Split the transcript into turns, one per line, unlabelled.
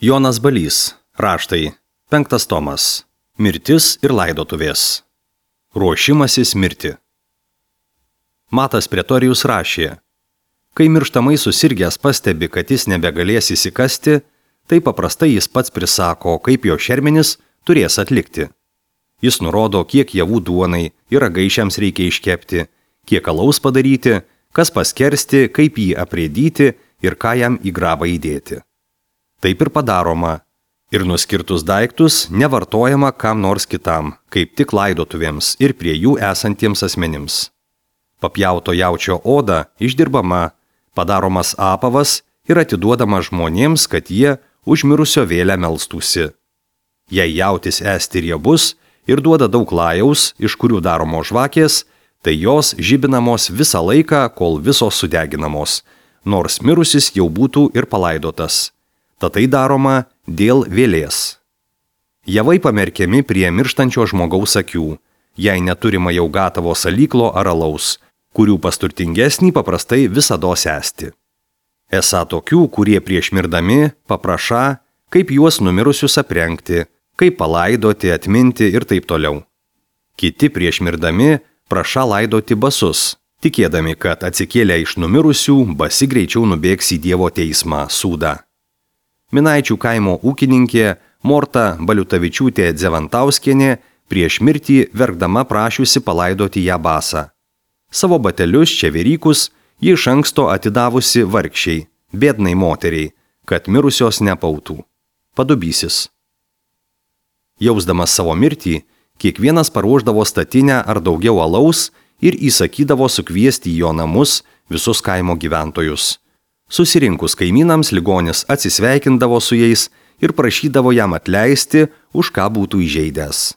Jonas Balys, raštai, 5 tomas, mirtis ir laidotuvės. Ruošimasis mirti. Matas Pretorijus rašė, kai mirštamai susirgęs pastebi, kad jis nebegalės įsikasti, tai paprastai jis pats prisako, kaip jo šermenis turės atlikti. Jis nurodo, kiek javų duonai ir ragaišiams reikia iškepti, kiek alaus padaryti, kas paskersti, kaip jį aprėdyti ir ką jam į grabą įdėti. Taip ir padaroma. Ir nuskirtus daiktus nevartojama kam nors kitam, kaip tik laidotuvėms ir prie jų esantiems asmenims. Papjauto jaučio oda išdirbama, padaromas apavas ir atiduodama žmonėms, kad jie už mirusio vėlę melstųsi. Jei jautis esti riebus ir duoda daug lajaus, iš kurių daromos žvakės, tai jos žibinamos visą laiką, kol visos sudeginamos, nors mirusis jau būtų ir palaidotas. Tad tai daroma dėl vėlės. Javai pamerkiami prie mirštančio žmogaus akių, jei neturima jau gatavo salyklo ar alaus, kurių pasturtingesnį paprastai visados esti. Esą tokių, kurie prieš mirdami paprašą, kaip juos numirusius aprengti, kaip palaidoti, atminti ir taip toliau. Kiti prieš mirdami prašą laidoti basus, tikėdami, kad atsikėlę iš numirusių basi greičiau nubėgs į Dievo teismą, sūdą. Minaičių kaimo ūkininkė Morta Baliutavičiūtė Dzevantauskienė prieš mirtį verkdama prašiusi palaidoti ją basą. Savo batelius čeverykus ji iš anksto atidavusi vargšiai, biednai moteriai, kad mirusios nepautų. Padubysis. Jausdamas savo mirtį, kiekvienas paruošdavo statinę ar daugiau alaus ir įsakydavo sukviesti į jo namus visus kaimo gyventojus. Susirinkus kaimynams ligonis atsisveikindavo su jais ir prašydavo jam atleisti, už ką būtų įžeidęs.